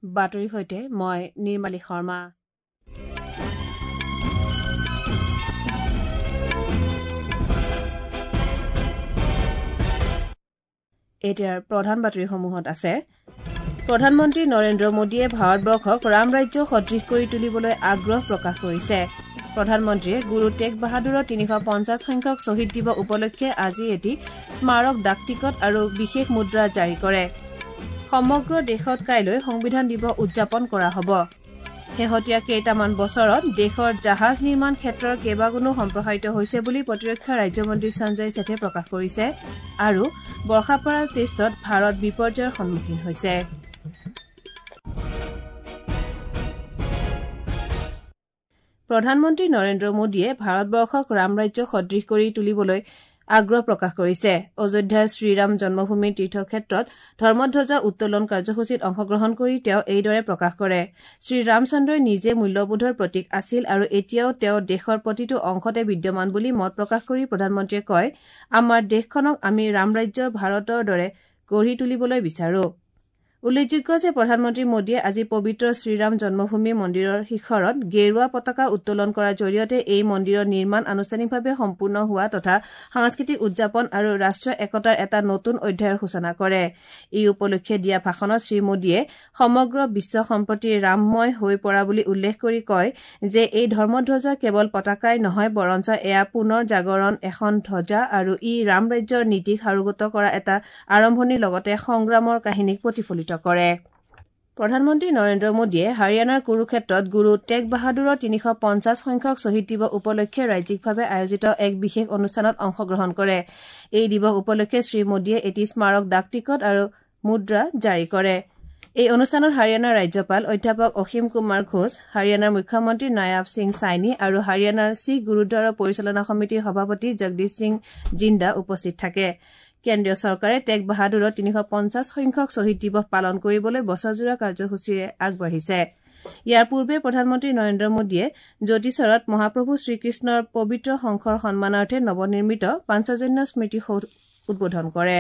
বাতৰিৰ সৈতে মই নিৰ্মালী শৰ্মা। এতিয়াৰ প্ৰধান বাতৰিসমূহত আছে প্ৰধানমন্ত্ৰী নৰেন্দ্ৰ মোদীয়ে ভাৰতবৰ্ষক ৰামৰাজ্য সদৃশ কৰি তুলিবলৈ আগ্ৰহ প্ৰকাশ কৰিছে। প্ৰধানমন্ত্ৰীয়ে গুৰু টেগ বাহাদুৰৰ 350 সংখ্যক শ্বহীদ দিৱস উপলক্ষে আজি এটি স্মাৰক ডাকটিকট আৰু বিশেষ মুদ্ৰা জাৰি কৰে। সমগ্ৰ দেশত কাইলৈ সংবিধান দিৱস উদযাপন কৰা হ'ব। শেহতীয়া কেইটামান বছৰত দেশৰ জাহাজ নিৰ্মাণ ক্ষেত্ৰৰ কেইবাগুণো সম্প্ৰসাৰিত হৈছে বুলি প্ৰতিৰক্ষা ৰাজ্যমন্ত্ৰী সঞ্জয় শেঠে প্ৰকাশ কৰিছে। আৰু বৰ্ষাপাৰা টেষ্টত ভাৰত বিপৰ্যয়ৰ সন্মুখীন হৈছে। প্ৰধানমন্ত্ৰী নৰেন্দ্ৰ মোদীয়ে ভাৰতবৰ্ষক ৰামৰাজ্য সদৃশ কৰি তুলিবলৈ আগ্ৰহ প্ৰকাশ কৰিছে। অযোধ্যাৰ শ্ৰীৰাম জন্মভূমি তীৰ্থক্ষেত্ৰত ধৰ্মধ্বজা উত্তোলন কাৰ্যসূচীত অংশগ্ৰহণ কৰি তেওঁ এইদৰে প্ৰকাশ কৰে। শ্ৰীৰামচন্দ্ৰই নিজে মূল্যবোধৰ প্ৰতীক আছিল আৰু এতিয়াও তেওঁ দেশৰ প্ৰতিটো অংশতে বিদ্যমান বুলি মত প্ৰকাশ কৰি প্ৰধানমন্ত্ৰীয়ে কয়, আমাৰ দেশখনক আমি ৰামৰাজ্যৰ ভাৰতৰ দৰে গঢ়ি তুলিবলৈ বিচাৰো। উল্লেখযোগ্য যে প্ৰধানমন্ত্ৰী মোদীয়ে আজি পবিত্ৰ শ্ৰীৰাম জন্মভূমি মন্দিৰৰ শিখৰত গেৰুৱা পতাকা উত্তোলন কৰাৰ জৰিয়তে এই মন্দিৰৰ নিৰ্মাণ আনুষ্ঠানিকভাৱে সম্পূৰ্ণ হোৱা তথা সাংস্কৃতিক উদযাপন আৰু ৰাষ্ট্ৰীয় একতাৰ এটা নতুন অধ্যায়ৰ সূচনা কৰে। এই উপলক্ষে দিয়া ভাষণত শ্ৰীমোদীয়ে সমগ্ৰ বিশ্ব সম্প্ৰতি ৰামময় হৈ পৰা বুলি উল্লেখ কৰি কয় যে এই ধৰ্মধ্বজা কেৱল পতাকাই নহয়, বৰঞ্চ এয়া পুনৰ জাগৰণ এখন ধ্বজা আৰু ই ৰামৰাজ্যৰ নীতিক সাৰোগত কৰা এটা আৰম্ভণিৰ লগতে সংগ্ৰামৰ কাহিনীক প্ৰতিফলিত কৰে। প্ৰধানমন্ত্ৰী নৰেন্দ্ৰ মোদীয়ে হাৰিয়ানাৰ কুৰুক্ষেত্ৰত গুৰু টেগ বাহাদুৰৰ 350 সংখ্যক শ্বহীদ দিৱস উপলক্ষে ৰাজ্যিকভাৱে আয়োজিত এক বিশেষ অনুষ্ঠানত অংশগ্ৰহণ কৰে। এই দিৱস উপলক্ষে শ্ৰীমোদীয়ে এটি স্মাৰক ডাকটিকট আৰু মুদ্ৰা জাৰি কৰে। এই অনুষ্ঠানত হাৰিয়ানাৰ ৰাজ্যপাল অধ্যাপক অসীম কুমাৰ ঘোষ, হাৰিয়ানাৰ মুখ্যমন্ত্ৰী নায়াব সিং ছাইনী আৰু হাৰিয়ানাৰ শিখ গুৰুদ্বাৰৰ পৰিচালনা সমিতিৰ সভাপতি জগদীশ সিং জিন্দা উপস্থিত থাকে। কেন্দ্ৰীয় চৰকাৰে টেগ বাহাদুৰৰ 350 সংখ্যক শ্বহীদ দিৱস পালন কৰিবলৈ বছৰজোৰা কাৰ্যসূচীৰে আগবাঢ়িছে। ইয়াৰ পূৰ্বে প্ৰধানমন্ত্ৰী নৰেন্দ্ৰ মোদীয়ে জ্যোতিষৰত মহাপ্ৰভু শ্ৰীকৃষ্ণৰ পবিত্ৰ শংখৰ সন্মানাৰ্থে নৱনিৰ্মিত পাঞ্চজন্য স্মৃতিসৌধ উদ্বোধন কৰে।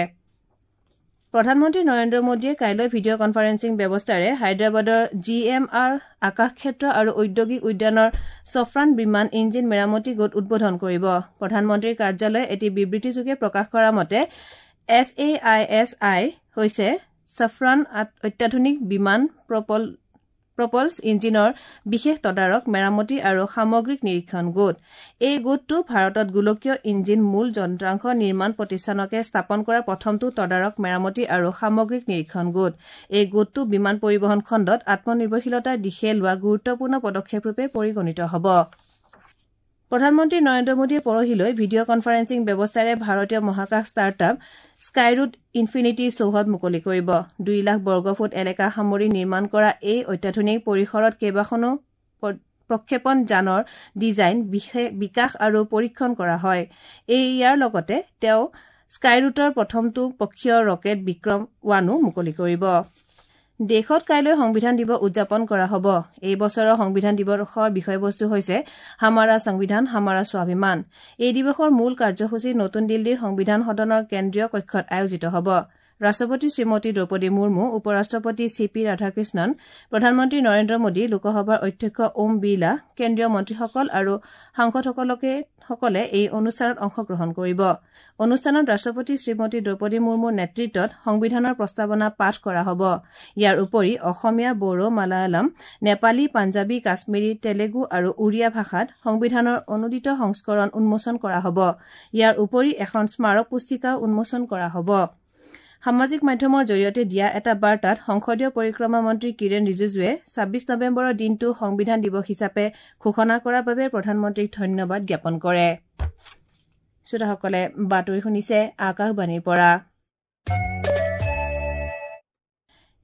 প্ৰধানমন্ত্ৰী নৰেন্দ্ৰ মোদীয়ে কাইলৈ ভিডিঅ' কনফাৰেন্সিং ব্যৱস্থাৰে হায়দৰাবাদৰ জি এম আৰ আকাশক্ষেত্ৰ আৰু ঔদ্যোগিক উদ্যানৰ ছফ্ৰান বিমান ইঞ্জিন মেৰামতি গোট উদ্বোধন কৰিব। প্ৰধানমন্ত্ৰীৰ কাৰ্যালয়ে এটি বিবৃতিযোগে প্ৰকাশ কৰা মতে S A I S I হৈছে ছফ্ৰান অত্যাধুনিক বিমান প্ৰপলছ ইঞ্জিনৰ বিশেষ তদাৰক, মেৰামতি আৰু সামগ্ৰিক নিৰীক্ষণ গোট। এই গোটটো ভাৰতত গোলকীয় ইঞ্জিন মূল যন্ত্ৰাংশ নিৰ্মাণ প্ৰতিষ্ঠানকে স্থাপন কৰা প্ৰথমটো তদাৰক, মেৰামতি আৰু সামগ্ৰিক নিৰীক্ষণ গোট। এই গোটটো বিমান পৰিবহণ খণ্ডত আত্মনিৰ্ভৰশীলতাৰ দিশে লোৱা গুৰুত্বপূৰ্ণ পদক্ষেপৰূপে পৰিগণিত হ'ব। প্ৰধানমন্ত্ৰী নৰেন্দ্ৰ মোদীয়ে পৰহিলৈ ভিডিঅ' কনফাৰেন্সিং ব্যৱস্থাৰে ভাৰতীয় মহাকাশ ষ্টাৰ্টআপ স্কাইৰুট ইনফিনিটি চৌহদ মুকলি কৰিব। 2 লাখ বৰ্গফুট এলেকা সামৰি নিৰ্মাণ কৰা এই অত্যাধুনিক পৰিসৰত কেইবাখনো প্ৰক্ষেপণ যানৰ ডিজাইন, বিকাশ আৰু পৰীক্ষণ কৰা হয়। ইয়াৰ লগতে তেওঁ স্কাইৰুটৰ প্ৰথমটো পক্ষীয় ৰকেট বিক্ৰম 1ও মুকলি কৰিব। দেশত কাইলৈ সংবিধান দিৱস উদযাপন কৰা হ'ব। এই বছৰৰ সংবিধান দিৱসৰ বিষয়বস্তু হৈছে হামাৰা সংবিধান হামাৰা স্বাভিমান। এই দিৱসৰ মূল কাৰ্যসূচী নতুন দিল্লীৰ সংবিধান সদনৰ কেন্দ্ৰীয় কক্ষত আয়োজিত হ'ব। ৰাষ্ট্ৰপতি শ্ৰীমতী দ্ৰৌপদী মুৰ্মু, উপ ৰাষ্ট্ৰপতি চি পি ৰাধাকৃষ্ণন, প্ৰধানমন্ত্ৰী নৰেন্দ্ৰ মোদী, লোকসভাৰ অধ্যক্ষ ওম বিৰলা, কেন্দ্ৰীয় মন্ত্ৰীসকল আৰু সাংসদসকলে এই অনুষ্ঠানত অংশগ্ৰহণ কৰিব। অনুষ্ঠানত ৰাষ্ট্ৰপতি শ্ৰীমতী দ্ৰৌপদী মুৰ্মুৰ নেতৃত্বত সংবিধানৰ প্ৰস্তাৱনা পাঠ কৰা হ'ব। ইয়াৰ উপৰি অসমীয়া, বড়ো, মালায়ালম, নেপালী, পাঞ্জাৱী, কাশ্মীৰী, তেলেগু আৰু উৰিয়া ভাষাত সংবিধানৰ অনুদিত সংস্কৰণ উন্মোচন কৰা হ'ব। ইয়াৰ উপৰি এখন স্মাৰক পুস্তিকাও উন্মোচন কৰা হ'ব। সামাজিক মাধ্যমৰ জৰিয়তে দিয়া এটা বাৰ্তাত সংসদীয় পৰিক্ৰমা মন্ত্ৰী কিৰেণ ৰিজিজুৱে 26 নৱেম্বৰৰ দিনটো সংবিধান দিৱস হিচাপে ঘোষণা কৰাৰ বাবে প্ৰধানমন্ত্ৰীক ধন্যবাদ জ্ঞাপন কৰে। শ্ৰোতাসকলে বাতৰি শুনিছে আকাশবাণীৰ পৰা।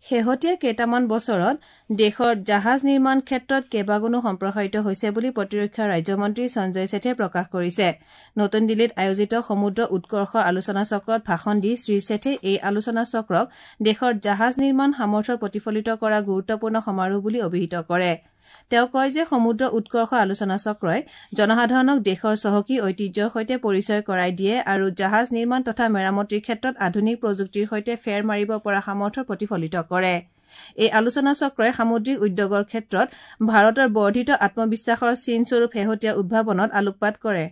শেহতীয়া কেইটামান বছৰত দেশৰ জাহাজ নিৰ্মাণ ক্ষেত্ৰত কেইবাগুণো সম্প্ৰসাৰিত হৈছে বুলি প্ৰতিৰক্ষা ৰাজ্যমন্ত্ৰী সঞ্জয় শেঠে প্ৰকাশ কৰিছে। নতুন দিল্লীত আয়োজিত সমুদ্ৰ উৎকৰ্ষ আলোচনা চক্ৰত ভাষণ দি শ্ৰীশেঠে এই আলোচনা চক্ৰক দেশৰ জাহাজ নিৰ্মাণ সামৰ্থ্য প্ৰতিফলিত কৰা গুৰুত্বপূৰ্ণ সমাৰোহ বুলি অভিহিত কৰে। তেওঁ কয় যে সমুদ্ৰ উৎকৰ্ষ আলোচনা চক্ৰই জনসাধাৰণক দেশৰ চহকী ঐতিহ্যৰ সৈতে পৰিচয় কৰাই দিয়ে আৰু জাহাজ নিৰ্মাণ তথা মেৰামতিৰ ক্ষেত্ৰত আধুনিক প্ৰযুক্তিৰ সৈতে ফেৰ মাৰিব পৰা সামৰ্থ্য প্ৰতিফলিত কৰে। এই আলোচনা চক্ৰই সামুদ্ৰিক উদ্যোগৰ ক্ষেত্ৰত ভাৰতৰ বৰ্ধিত আত্মবিশ্বাসৰ চিনস্বৰূপ শেহতীয়া উদ্ভাৱনত আলোকপাত কৰে।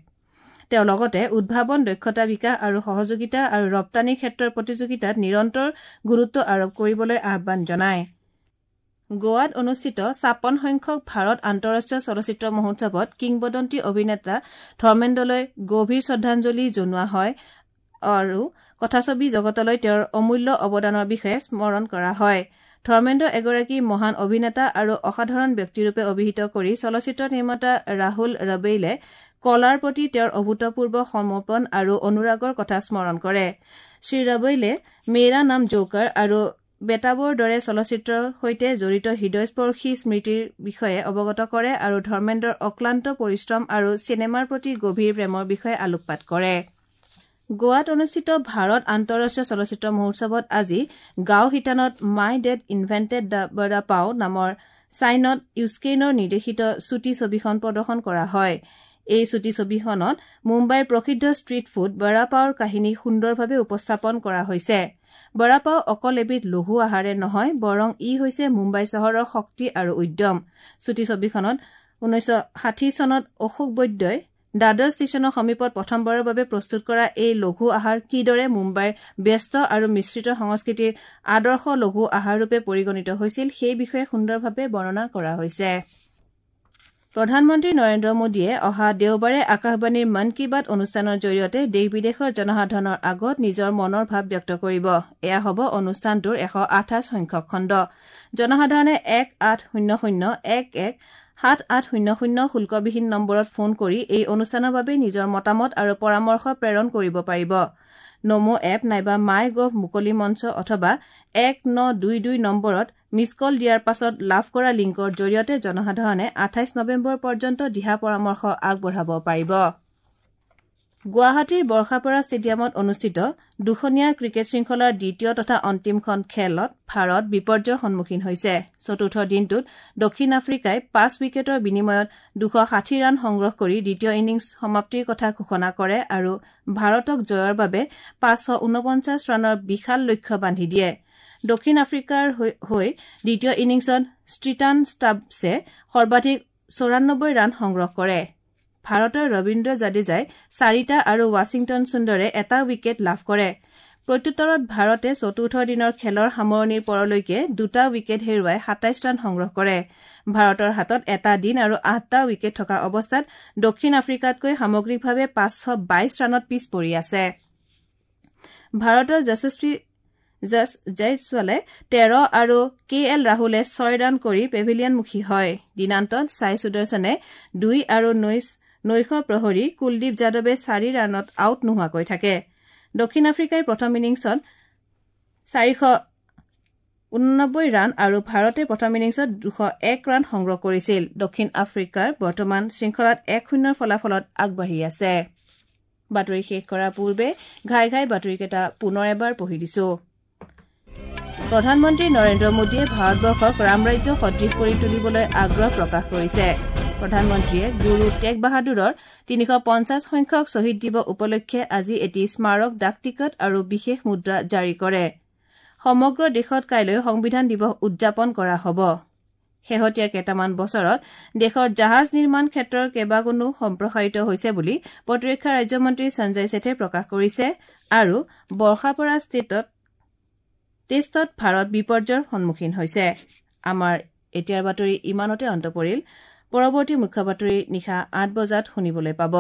তেওঁ লগতে উদ্ভাৱন, দক্ষতা বিকাশ আৰু সহযোগিতা আৰু ৰপ্তানি ক্ষেত্ৰৰ প্ৰতিযোগিতাত নিৰন্তৰ গুৰুত্ব আৰোপ কৰিবলৈ আহ্বান জনায়। গোৱাত অনুষ্ঠিত ৫৬ সংখ্যক ভাৰত আন্তঃৰাষ্ট্ৰীয় চলচ্চিত্ৰ মহোৎসৱত কিংবদন্তি অভিনেতা ধৰ্মেন্দ্ৰলৈ গভীৰ শ্ৰদ্ধাঞ্জলি জনোৱা হয় আৰু কথাছবি জগতলৈ তেওঁৰ অমূল্য অৱদানৰ বিষয়ে স্মৰণ কৰা হয়। ধৰ্মেন্দ্ৰ এগৰাকী মহান অভিনেতা আৰু অসাধাৰণ ব্যক্তিৰূপে অভিহিত কৰি চলচ্চিত্ৰ নিৰ্মাতা ৰাহুল ৰবেইলে কলাৰ প্ৰতি তেওঁৰ অভূতপূৰ্ব সমৰ্পণ আৰু অনুৰাগৰ কথা স্মৰণ কৰে। শ্ৰীৰবেইলে মেৰা নাম জোকাৰ আৰু বেতাবৰ দৰে চলচ্চিত্ৰৰ সৈতে জড়িত হৃদয়স্পৰ্শী স্মৃতিৰ বিষয়ে অৱগত কৰে আৰু ধৰ্মেন্দ্ৰৰ অক্লান্ত পৰিশ্ৰম আৰু চিনেমাৰ প্ৰতি গভীৰ প্ৰেমৰ বিষয়ে আলোকপাত কৰে। গোৱাত অনুষ্ঠিত ভাৰত আন্তঃৰাষ্ট্ৰীয় চলচ্চিত্ৰ মহোৎসৱত আজি গাঁও শিতানত my dad invented the vada pav নামৰ চাইনত ইউস্কেইনৰ নিৰ্দেশিত চুটি ছবিখন প্ৰদৰ্শন কৰা হয়। এই চুটি ছবিখনত মুম্বাইৰ প্ৰসিদ্ধ ষ্ট্ৰীট ফুড বড়া পাওৰ কাহিনী সুন্দৰভাৱে উপস্থাপন কৰা হৈছে। বড়া পাও অকল এবিধ লঘু আহাৰে নহয়, বৰং ই হৈছে মুম্বাই চহৰৰ শক্তি আৰু উদ্যম। চুটি ছবিখনত ১৯৬০ চনত অশোক বৈদ্যই দাদৰ ষ্টেচনৰ সমীপত প্ৰথমবাৰৰ বাবে প্ৰস্তুত কৰা এই লঘু আহাৰ কিদৰে মুম্বাইৰ ব্যস্ত আৰু মিশ্ৰিত সংস্কৃতিৰ আদৰ্শ লঘু আহাৰৰূপে পৰিগণিত হৈছিল সেই বিষয়ে সুন্দৰভাৱে বৰ্ণনা কৰা হৈছে। প্ৰধানমন্ত্ৰী নৰেন্দ্ৰ মোদীয়ে অহা দেওবাৰে আকাশবাণীৰ মন কী বাত অনুষ্ঠানৰ জৰিয়তে দেশ বিদেশৰ জনসাধাৰণৰ আগত নিজৰ মনৰ ভাৱ ব্যক্ত কৰিব। এয়া হ'ব অনুষ্ঠানটোৰ ১২৮ সংখ্যক খণ্ড। জনসাধাৰণে ১৮০০ ১১ ৭৮০০ শুল্কবিহীন নম্বৰত ফোন কৰি এই অনুষ্ঠানৰ বাবে নিজৰ মতামত আৰু পৰামৰ্শ প্ৰেৰণ কৰিব পাৰিব। নমো এপ নাইবা মাই গভ মুকলি মঞ্চ অথবা ১৯২২ নম্বৰত মিছ কল দিয়াৰ পাছত লাভ কৰা লিংকৰ জৰিয়তে জনসাধাৰণে ২৮ নৱেম্বৰ পৰ্যন্ত দিহা পৰামৰ্শ আগবঢ়াব পাৰিব। গুৱাহাটীৰ বৰ্ষাপাৰা ষ্টেডিয়ামত অনুষ্ঠিত দুখনীয়া ক্ৰিকেট শৃংখলাৰ দ্বিতীয় তথা অন্তিমখন খেলত ভাৰত বিপৰ্যয়ৰ সন্মুখীন হৈছে। চতুৰ্থ দিনটোত দক্ষিণ আফ্ৰিকাই ৫ উইকেটৰ বিনিময়ত ২৬০ ৰান সংগ্ৰহ কৰি দ্বিতীয় ইনিংছ সমাপ্তিৰ কথা ঘোষণা কৰে আৰু ভাৰতক জয়ৰ বাবে ৫৪৯ ৰানৰ বিশাল লক্ষ্য বান্ধি দিয়ে। দক্ষিণ আফ্ৰিকাৰ হৈ দ্বিতীয় ইনিংছত ষ্ট্ৰিটান ষ্টাবছে সৰ্বাধিক ৯৪ ৰান সংগ্ৰহ কৰে। ভাৰতৰ ৰবীন্দ্ৰ জাদেজাই ৪টা আৰু ৱাশ্বিংটন সুন্দৰে এটা উইকেট লাভ কৰে। প্ৰত্যুত্তৰত ভাৰতে চতুৰ্থ দিনৰ খেলৰ সামৰণিৰ পৰলৈকে ২টা উইকেট হেৰুৱাই ২৭ ৰান সংগ্ৰহ কৰে। ভাৰতৰ হাতত এটা দিন আৰু ৮টা উইকেট থকা অৱস্থাত দক্ষিণ আফ্ৰিকাতকৈ সামগ্ৰিকভাৱে ৫২২ ৰানত পিছ পৰি আছে। ভাৰতৰ যশস্বী জয়ছোৱালে ১৩ আৰু কে এল ৰাহুলে ৬ ৰান কৰি পেভিলিয়নমুখী হয়। দিনান্তত ছাই সুদৰ্শনে ২ আৰু নৈশ প্ৰহৰী কুলদীপ যাদৱে ৪ ৰানত আউট নোহোৱাকৈ থাকে। দক্ষিণ আফ্ৰিকাই প্ৰথম ইনিংছত ৪৮৯ ৰান আৰু ভাৰতে প্ৰথম ইনিংছত ২০১ ৰান সংগ্ৰহ কৰিছিল। দক্ষিণ আফ্ৰিকাৰ বৰ্তমান শৃংখলাত ১-০ ফলাফলত আগবাঢ়ি আছে। বাতৰি শেষ কৰাৰ পূৰ্বে ঘাই ঘাই বাতৰিকেইটা পুনৰ এবাৰ পঢ়ি দিছো। প্ৰধানমন্ত্ৰী নৰেন্দ্ৰ মোদীয়ে ভাৰতবৰ্ষক ৰামৰাজ্য সদৃশ কৰি তুলিবলৈ আগ্ৰহ প্ৰকাশ কৰিছে। প্ৰধানমন্ত্ৰীয়ে গুৰু টেগ বাহাদুৰৰ ৩৫০ সংখ্যক শ্বহীদ দিৱস উপলক্ষে আজি এটি স্মাৰক ডাক টিকট আৰু বিশেষ মুদ্ৰা জাৰি কৰে। সমগ্ৰ দেশত কাইলৈ সংবিধান দিৱস উদযাপন কৰা হ'ব। শেহতীয়া কেইটামান বছৰত দেশৰ জাহাজ নিৰ্মাণ ক্ষেত্ৰৰ কেইবাগুণো সম্প্ৰসাৰিত হৈছে বুলি প্ৰতিৰক্ষা ৰাজ্যমন্ত্ৰী সঞ্জয় ছেঠে প্ৰকাশ কৰিছে আৰু বৰ্ষাপাৰা টেষ্টত ভাৰত বিপৰ্যয়ৰ সন্মুখীন হৈছে। আমাৰ এতিয়াৰ বাতৰি ইমানতে অন্ত পৰিল। পৰৱৰ্তী মুখ্য বাতৰি নিশা ৮ বজাত শুনিবলৈ পাব।